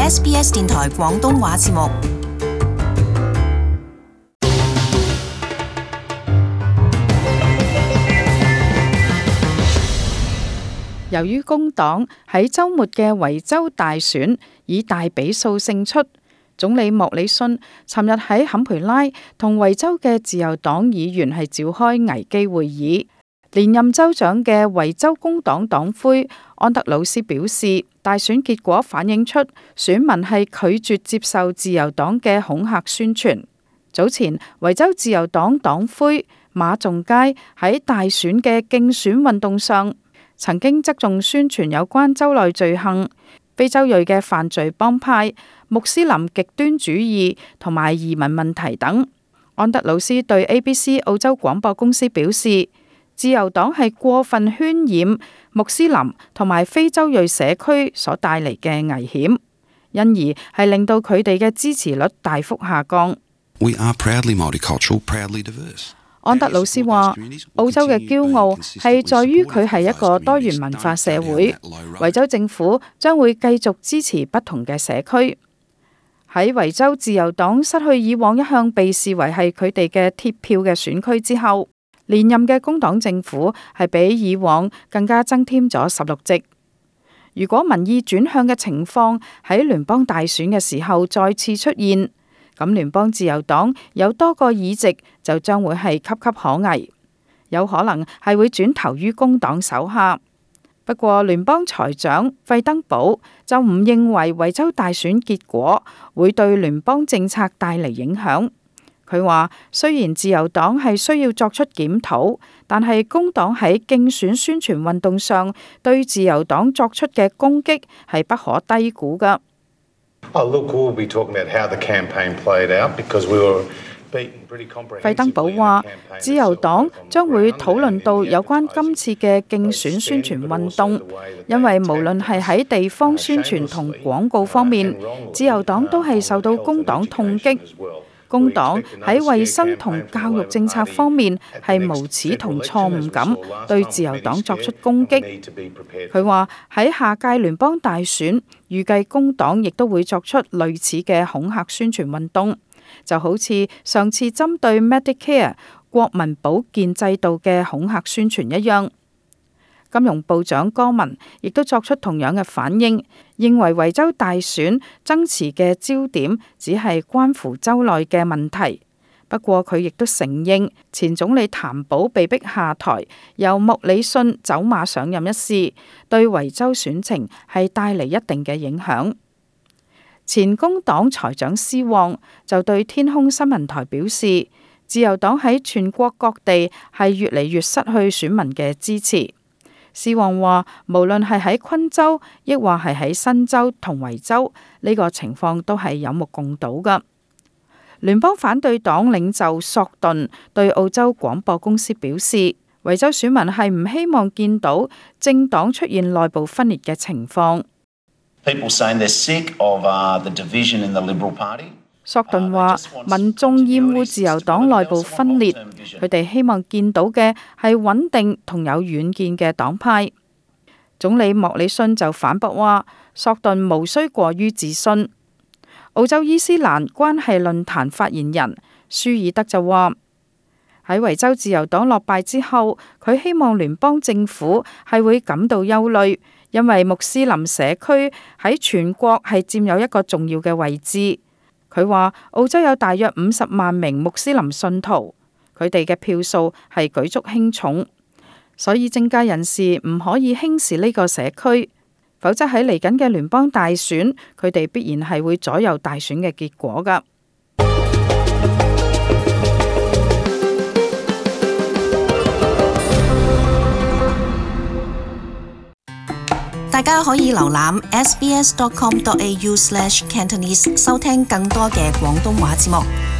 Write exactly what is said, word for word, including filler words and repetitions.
S B S 電台廣東話節目。由於工黨喺週末嘅維州大選以大比數勝出，總理莫里遜尋日喺坎培拉同維州嘅自由黨議員係召開危機會議。連任州長嘅維州工黨黨魁安德魯斯表示，大選結果反映出選民係拒絕接受自由黨嘅恐嚇宣傳。早前維州自由黨黨魁馬仲佳喺大選嘅競選運動上，曾經側重宣傳有關州內罪行、非洲裔嘅犯罪幫派、穆斯林極端主義同埋移民問題等。安德魯斯對 A B C 澳洲廣播公司表示，自由黨係過分渲染穆斯林同埋非洲裔社區所帶嚟嘅危險，因而係令到佢哋嘅支持率大幅下降。We are proudly multicultural, proudly diverse. 安德魯斯話，澳洲嘅驕傲係在於佢係一個多元文化社會，維州政府將會繼續支持不同嘅社區。喺維州自由黨失去以往一向被視為係佢哋嘅鐵票嘅選區之後，連任嘅工黨政府係比以往更加增添咗十六席。如果民意轉向嘅情況喺聯邦大選嘅時候再次出現，咁聯邦自由黨有多個議席就將會係岌岌可危，有可能係會轉投於工黨手下。不過聯邦財長費登堡就唔認為維州大選結果會對聯邦政策帶嚟影響。佢話雖然自由黨係需要作出檢討，但係工黨喺競選宣傳運動上對自由黨作出嘅攻擊係不可低估㗎。費登堡話，自由黨將會討論到有關今次嘅競選宣傳運動，因為無論係喺地方宣傳同廣告方面，自由黨都係受到工黨痛擊。工黨喺衛生同教育政策方面係無恥同錯誤咁對自由黨作出攻擊。佢話喺下屆聯邦大選，預計工黨亦都會作出類似嘅恐嚇宣傳運動，就好似上次針對 Medicare 國民保健制度嘅恐嚇宣傳一樣。金融部長戈文亦都作出同樣嘅反應，認為維州大選爭持嘅焦點只係關乎州內嘅問題。不過佢亦都承認前總理譚寶被逼下台，由莫里遜走馬上任一事，對維州選情係帶嚟一定嘅影響。前工黨財長施旺就對天空新聞台表示，自由黨喺全國各地係越嚟越失去選民嘅支持。施旺話，無論係喺昆州，亦或係喺新州同維州，呢個情況都係有目共睹㗎。聯邦反對黨領袖索頓對澳洲廣播公司表示，維州選民係唔希望見到政黨出現內部分裂嘅情況。索頓話，民眾厭惡自由黨內部分裂，佢哋希望見到嘅係穩定同有遠見嘅黨派。總理莫里遜就反駁話，索頓無需過於自信。澳洲伊斯蘭關係論壇發言人舒爾德就話，喺維州自由黨落敗之後，佢希望聯邦政府係會感到憂慮，因為穆斯林社區喺全國係佔有一個重要嘅位置。佢話澳洲有大約五十萬名穆斯林信徒，佢哋嘅票數係舉足輕重，所以政界人士唔可以輕視呢個社區，否則喺嚟緊嘅聯邦大選，佢哋必然係會左右大選嘅結果㗎。大家可以瀏覽 s b s dot com dot a u slash cantonese 收聽更多嘅廣東話節目。